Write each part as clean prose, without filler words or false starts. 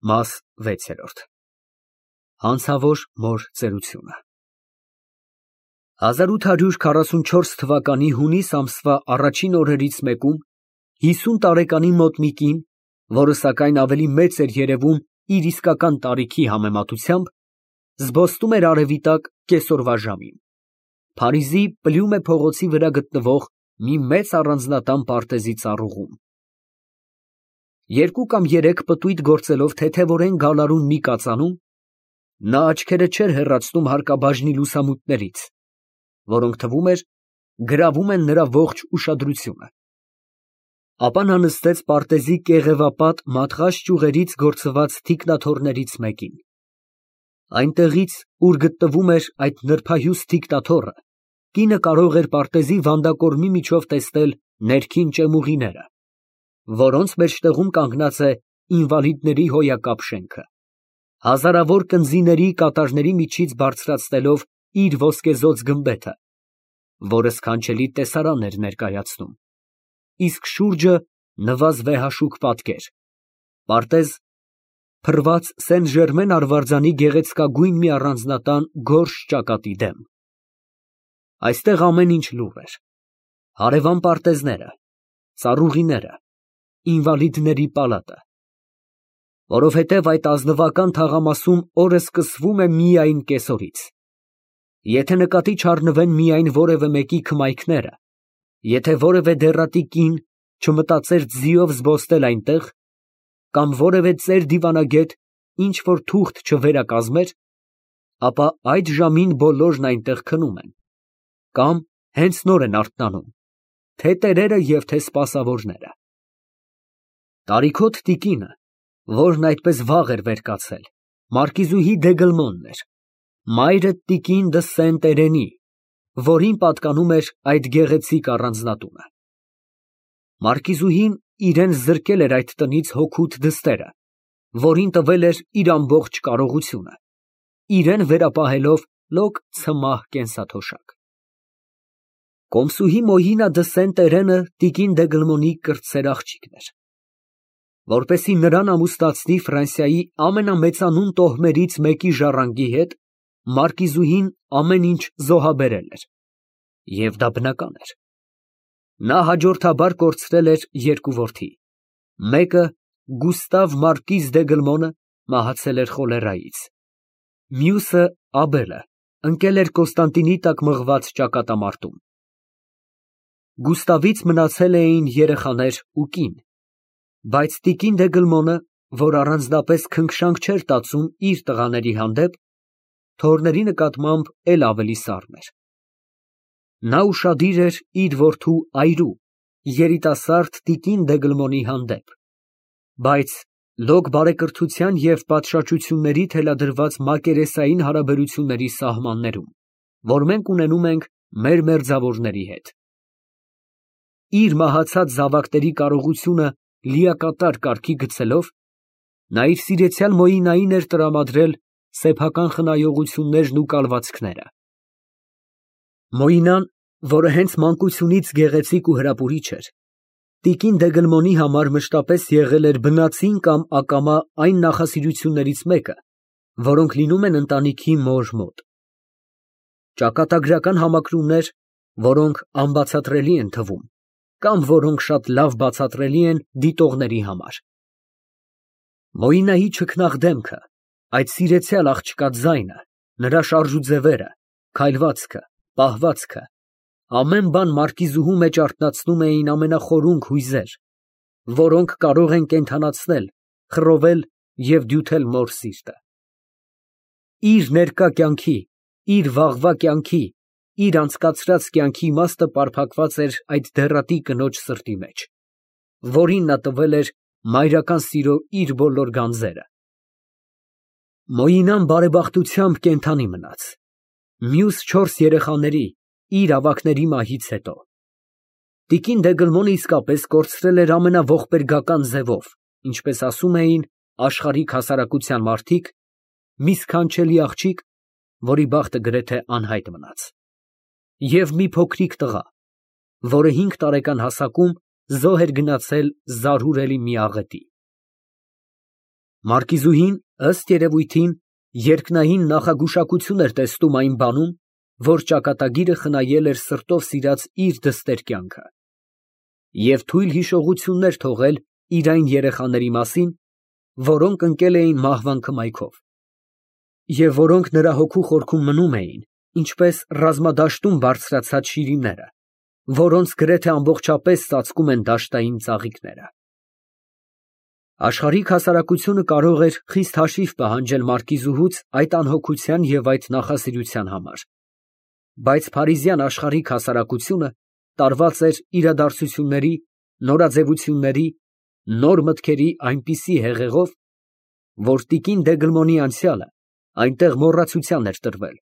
Մաս 6 Հանցավոր մոր ծերությունը 1844 թվականի հունիս ամսվա առաջին օրերից մեկում 50 տարեկանի մոտ մի կին, որը սակայն ավելի մեծ էր երևում իր իսկական տարիքի համեմատությամբ, զբոսնում էր արևի տակ կեսօրվա ժամին, Փարիզի Պլյումե փողոցի վրա գտնվող մի մեծ առանձնատան պարտեզի ծառուղում։ Երկու կամ երեք պտույտ գործելով թեթևորեն գալարուն մի կածանում, նա աչքերը չէր հեռացնում հարկաբաժնի լուսամուտներից, որոնք թվում էր գրավում են նրա ողջ ուշադրությունը։ Ապա նա նստեց պարտեզի կեղևապատ մատղաշ ճյուղերից գործված թիկնաթոռներից մեկին։ Այնտեղից, ուր գտնվում էր այդ նրբահյուս թիկնաթոռը, կինը կարող էր պարտեզի վանդակորմի միջով տեսնել ներքին ճեմուղիները, որոնց մեջտեղում կանգնած է ինվալիդների հոյակապ շենքը, հազարավոր կնզիների կատարների միջից բարձրացնելով իր ոսկեզօծ գմբեթը, որը սքանչելի տեսարան էր ներկայացնում, իսկ շուրջը նվազ վեհաշուք պատկեր, պարտեզ, փռված Սեն Ժերմեն արվարձանի գեղեցկագույն մի առանձնատան գորշ ճակատի դեմ։ Այստեղ ամեն ինչ լուռ էր. հարևան պարտեզները, ծառուղիները, ինվալիդների պալատը, որովհետև այդ ազնվական թաղամասում օրը սկսվում է միայն կեսօրից։ Եթե նկատի չառնվեն միայն որևէ մեկի քմայքները, եթե որևէ դեռատի կին չմտածեր ձիով զբոսնել այնտեղ, կամ որևէ ծեր դիվանագետ ինչ որ թուղթ չվերակազմեր, ապա այդ ժամին բոլորն այնտեղ քնում են, կամ հենց նոր են արթնանում, թե տերերը և թե սպասավորները։ Տարիքոտ տիկինը, որն այդպես վաղ էր վեր կացել, մարկիզուհի Դեգլմոնն էր, մայրը տիկին դը Սենտերենի, որին պատկանում էր այդ գեղեցիկ առանձնատունը։ Մարկիզուհին իրան զրկել էր այդ տնից հոգուտ դստերը, որին տվել էր իր ամբողջ կարողությունը, իրան վերապահելով լոկ ցմահ կենսաթոշակ։ Կոմսուհի Մոհինա դը Սենտերենը տիկին Դեգլմոնի կրտսեր աղջիկն էր։ Որպեսզի նրան ամուսնացնի Ֆրանսիայի ամենամեծանուն տոհմերից մեկի ժառանգի հետ, մարկիզուհին ամեն ինչ զոհաբերել էր, և դա բնական էր։ Նա հաջորդաբար կորցրել էր երկու որդի, մեկը Գուստավ մարկիզ Դեգլմոնը մահացել էր խոլերայից, մյուսը Աբելը ընկել էր Կոստանդինի տակ մղված ճակատամարտում։ Գուստավից մնացել էին երեխաներ ու կին, բայց տիկին Դեգլմոնը, որ առանձնապես քնքշանք չէր տածում իր տղաների հանդեպ, թոռների նկատմամբ էլ ավելի սառն էր։ Նա ուշադիր էր իր որդու Այրու, երիտասարդ տիկին Դեգլմոնի հանդեպ, բայց լոկ բարեկրթության և պատշաճությունների թելադրված մակերեսային հարաբերությունների սահմաններում, որ մենք ունենում ենք մեր մերձավորների հետ։ Իր մահացած զավակների կարողությունը լիակատար կարգի գցելով, նա իր սիրեցյալ Մոյինային էր տրամադրել սեփական խնայողություններն ու կալվածքները։ Մոյինան, որը հենց մանկությունից գեղեցիկ ու հրապուրիչ էր, տիկին Դեգլմոնի համար մշտապես եղել էր բնածին կամ ակամա այն նախասիրություններից մեկը, որոնք լինում են ընտանիքի մոր մոտ։ Ճակատագրական համակրումներ, որոնք անբացատրելի են թվում, կամ որոնք շատ լավ բացատրելի են դիտողների համար։ Մոյինայի չքնաղ դեմքը, այդ սիրեցյալ աղջկա ձայնը, նրա շարժուձևերը, քայլվածքը, պահվածքը, ամեն բան մարկիզուհու մեջ արթնացնում էին ամենախորունկ հույզեր, որոնք կարող են կենդանացնել, խռովել և դյութել մոր սիրտը։ Իր ներկա կյանքի, իր վաղվա կյանքի, իր անցկացրած կյանքի իմաստը պարփակված էր այդ դեռատի կնոջ սրտի մեջ, որին նա տվել էր մայրական սիրո իր բոլոր գանձերը։ Մոյինան բարեբախտությամբ կենդանի մնաց, մյուս 4 երեխաների, իր ավագների մահից հետո։ Տիկին Դեգլմոնը իսկապես կորցրել էր ամենաողբերգական ձևով, ինչպես ասում էին աշխարհիկ հասարակության մարդիկ, մի սքանչելի աղջիկ, որի բախտը գրեթե անհայտ մնաց, և մի փոքրիկ տղա, որը 5 տարեկան հասակում զոհ էր գնացել զարհուրելի մի աղետի։ Մարկիզուհին, ըստ երևույթին, երկնային նախագուշակություն էր տեսնում այն բանում, որ ճակատագիրը խնայել էր սրտով սիրած իր դստեր կյանքը, և թույլ հիշողություններ թողել իր այն երեխաների մասին, որոնք ընկել էին մահվան քմայքով, և որոնք նրա հոգու խորքում մնում էին, ինչպես ռազմադաշտում բարձրացած շիրիմները, որոնց գրեթե ամբողջապես ծածկում են դաշտային ծաղիկները։ Աշխարհիկ հասարակությունը կարող էր խիստ հաշիվ պահանջել մարկիզուհուց այդ անհոգության և այդ նախասիրության համար, բայց փարիզյան աշխարհիկ հասարակությունը տարված էր իրադարձությունների, նորաձևությունների, նոր մտքերի այնպիսի հեղեղով, որ տիկին Դեգլմոնի անցյալը այնտեղ մոռացության էր տրվել։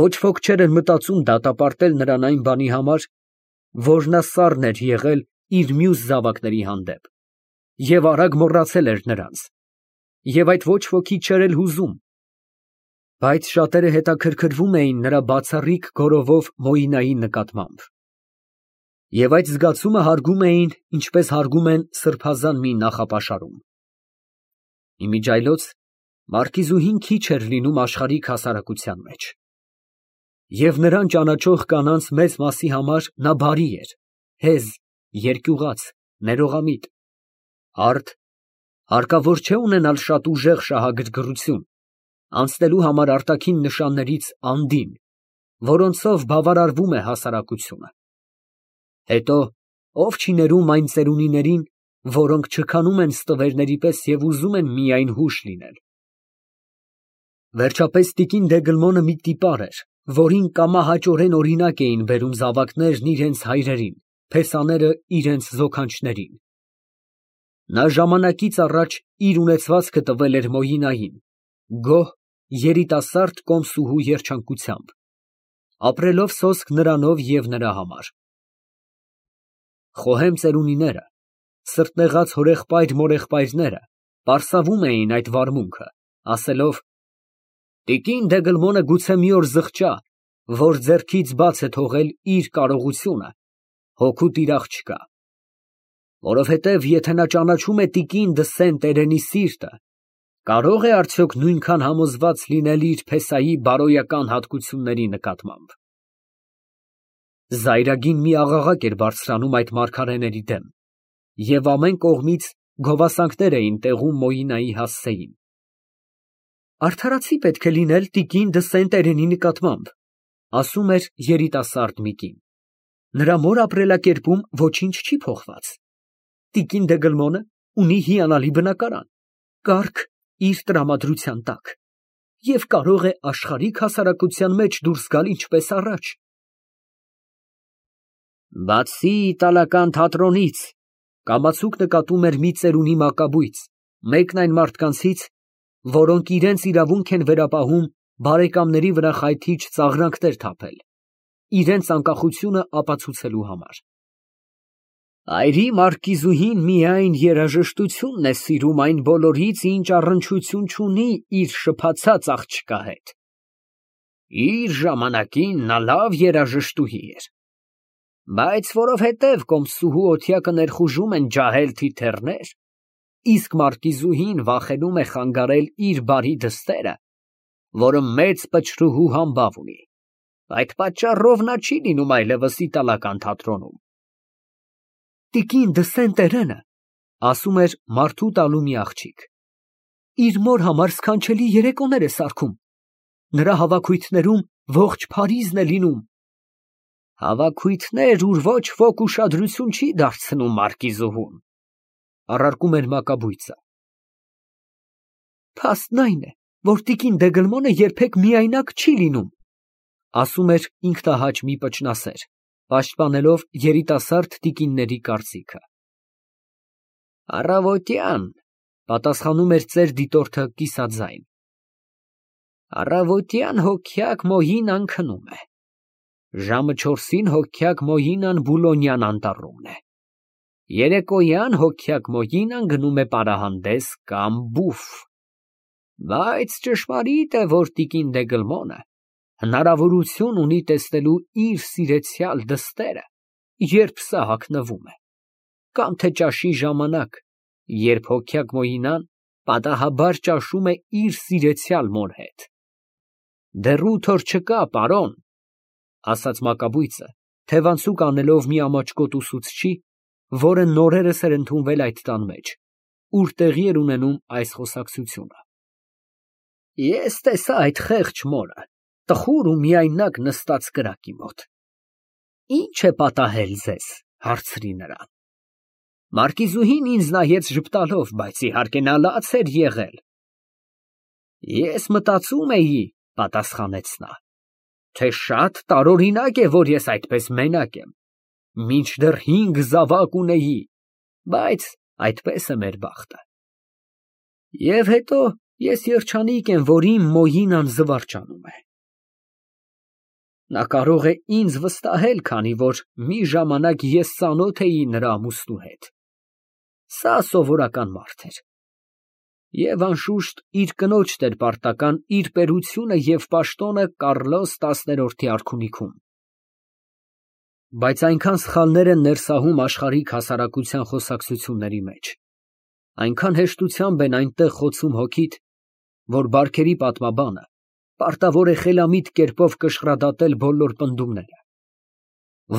Ոչ ոք չէր մտածում դատապարտել նրան այն բանի համար, որ նա սառն էր եղել իր մյուս զավակների հանդեպ և արագ մոռացել էր նրանց, և այդ ոչ ոքի չէր էլ հուզում, բայց շատերը հետաքրքրվում էին նրա բացառիկ գորովով Մոյինայի նկատմամբ, և այդ զգացումը հարգում էին, ինչպես հարգում են սրբազան մի նախապաշարում։ Իմիջիայլոց մարկիզուհին քիչ էր լինում աշխարհիկ հասարակության մեջ, և նրան ճանաչող կանանց մեծ մասի համար նա բարի էր, հեզ, երկյուղած, ներողամիտ, արդ, հարկավոր չէ ունենալ շատ ուժեղ շահագրգռություն, անցնելու համար արտաքին նշաններից անդին, որոնցով բավարարվում է հասարակությունը։ Հետո ով չի ներում այն ծերունիներին, որոնք չքանում են ստվերների պես և ուզում են միայն հուշ լինել։ Վերջապես տիկին Դեգլմոնը մի տիպար էր, որին կամահաճորեն օրինակ էին բերում զավակներն իրենց հայրերին, փեսաները իրենց զոքանչներին։ Նա ժամանակից առաջ իր ունեցվածքը տվել էր Մոյինային, գոհ, երիտասարդ կոմսուհու երջանկությամբ, ապրելով սոսկ նրանով և նրա համար։ Խոհեմ ծերունիները, սրտնեղած հորեղբայր֊մորեղբայրները պարսավում էին այդ վարմունքը, ասելով. «Տիկին Դեգլմոնը գուցե մի օր զղջա, որ ձեռքից բաց է թողել իր կարողությունը, հոգու տիրախ չկա, որովհետև եթե նա ճանաչում է տիկին դը Սեն֊Տերենի սիրտը, կարո՞ղ է արդյոք նույնքան համոզված լինել իր փեսայի բարոյական հատկությունների նկատմամբ»։ Զայրագին մի աղաղակ էր բարձրանում այդ մարգարեների դեմ, և ամեն կողմից գովասանքներ էին տեղում Մոյինայի հասցեին։ Արդարացի պետք է լինել տիկին դը Սեն֊Տերենի նկատմամբ, ասում էր երիտասարդ մի կին։ Նրա մոր ապրելակերպում ոչինչ չի փոխված։ Տիկին Դեգլմոնը ունի հիանալի բնակարան, կառք իր տրամադրության տակ և կարող է աշխարհիկ հասարակության մեջ դուրս գալ ինչպես առաջ։ Բացի իտալական թատրոնից, կամացուկ նկատում էր մի ծերունի մակաբույծ, մեկն այն մարդկանցից, որոնք իրենց իրավունք են վերապահում բարեկամների վրա խայթիչ ծաղրանքներ թափել, իրենց անկախությունը ապացուցելու համար։ Այրի մարկիզուհին միայն երաժշտությունն է սիրում այն բոլորից, ինչ առնչություն չունի իր շփացած աղջկա հետ։ Իր ժամանակին նա լավ երաժշտուհի էր, բայց որովհետև կոմսուհու օթյակը ներխուժում են ջահել թիթեռներ, իսկ մարկիզուհին վախենում է խանգարել իր բարի դստերը, որը մեծ պչրուհու համբավ ունի, այդ պատճառով նա չի լինում այլևս իտալական թատրոնում։ Տիկին դը Սեն֊Տերենը, ասում էր մարդու տալու մի աղջիկ, իր մոր համար սքանչելի երեկոներ է սարքում, նրա հավաքույթներում ողջ Փարիզն է լինում։ Հավաքույթներ, ուր ոչ ոք ուշադրություն չի դարձնում մարկիզուհուն, առարկում էր մակաբույծը։ Փաստն այն է, որ տիկին Դեգլմոնը երբեք միայնակ չի լինում, ասում էր ինքնահաճ մի պճնասեր, պաշտպանելով երիտասարդ տիկինների կարծիքը։ Առավոտյան, պատասխանում էր ծեր դիտորդը կիսաձայն, առավոտյան հոգյակ Մոյինան քնում է, ժամը 4-ին հոգյակ Մոյինան Բուլոնյան անտառումն է, երեկոյան հոգյակ Մոյինան գնում է պարահանդես կամ բուֆ, բայց ճշմարիտ է, որ տիկին Դեգլմոնը հնարավորություն ունի տեսնելու իր սիրեցյալ դստերը, երբ սա հագնվում է, կամ թե ճաշի ժամանակ, երբ հոգյակ Մոյինան պատահաբար ճաշում է իր սիրեցյալ մոր հետ։ Դեռ 8 օր չկա, պարոն, ասաց մակաբույծը, թևանցուկ անելով մի ամաչկոտ ուսուցչի, որը նորերս էր ընդունվել այդ տան մեջ, ուր տեղի էր ունենում այս խոսակցությունը։ Ես տեսա այդ խեղճ մորը, տխուր ու միայնակ նստած կրակի մոտ։ Ինչ է պատահել ձեզ, հարցրի նրան։ Մարկիզուհին ինձ նայեց ժպտալով, բայց իհարկե նա լաց էր եղել։ Ես մտածում էի, պատասխանեց նա, թե շատ տարօրինակ է, որ ես այդպես մենակ եմ, մինչդեռ 5 զավակ ունեի, բայց այդպես է մեր բախտը։ Եվ հետո ես երջանիկ եմ, որ իմ Մոյինան զվարճանում է։ Նա կարող է ինձ վստահել, քանի որ մի ժամանակ ես ծանոթ էի նրա ամուսնու հետ։ Սա սովորական մարդ էր։ Եվ անշուշտ իր կնոջն էր պարտական իր պերությունը և պաշտոնը Կարլոս 10-րդի արքունիքում։ Բայց այնքան սխալներ են ներսահում աշխարհիկ հասարակության խոսակցությունների մեջ, այնքան հեշտությամբ են այնտեղ խոցում հոգիդ, որ բարքերի պատմաբանը պարտավոր է խելամիտ կերպով կշռադատել բոլոր պնդումները,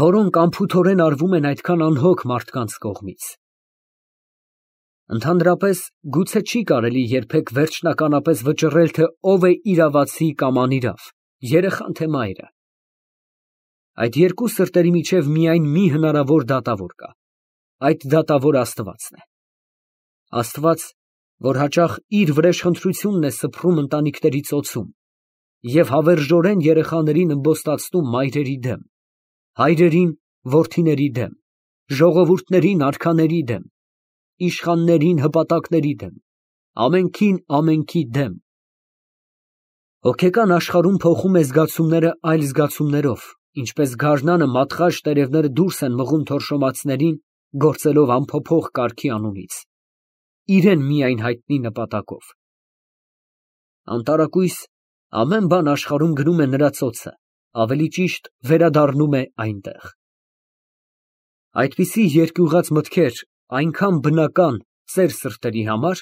որոնք անփութորեն արվում են այդքան անհոգ մարդկանց կողմից։ Ընդհանրապես, գուցե չի կարելի երբեք վերջնականապես վճռել, թե ով է իրավացի կամ անիրավ, երեխան թե մայրը։ Այդ երկու սրտերի միջև միայն մի հնարավոր դատավոր կա, այդ դատավորը Աստվածն է։ Աստված, որ հաճախ իր վրեժխնդրությունն է սփռում ընտանիքների ծոցում և հավերժորեն երեխաներին ըմբոստացնում մայրերի դեմ, հայրերին որդիների դեմ, ժողովուրդներին արքաների դեմ, իշխաններին հպատակների դեմ, ամենքին ամենքի դեմ։ Հոգեկան աշխարհում փոխում է զգացումները այլ զգացումներով, ինչպես գարնանը մատղաշ տերևները դուրս են մղում թորշոմածներին, գործելով անփոփոխ կարգի անունից, իրեն միայն հայտնի նպատակով։ Անտարակույս ամեն բան աշխարհում գնում է նրա ծոցը, ավելի ճիշտ վերադառնում է այնտեղ։ Այդպիսի երկյուղած մտքեր այնքան բնական ծեր սրտերի համար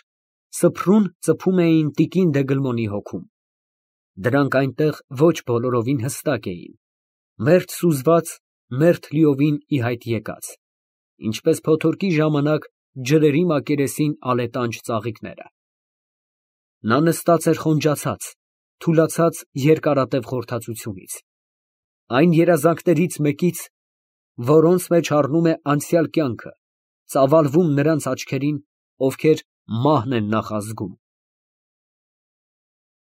սփռուն ծփում էին տիկին Դեգլմոնի հոգում։ Դրանք այնտեղ ոչ բոլորովին հստակ էին, մերթ սուզված, մերթ լիովին ի հայտ եկած, ինչպես փոթորկի ժամանակ ջրերի մակերեսին ալետանջ ծաղիկները։ Նա նստած էր խոնջացած, թուլացած երկարատև խորթացությունից, այն երազանքներից մեկից, որոնց մեջ առնում է անցյալ կյանքը, ծավալվում նրանց աչքերին, ովքեր մահն են նախազգում։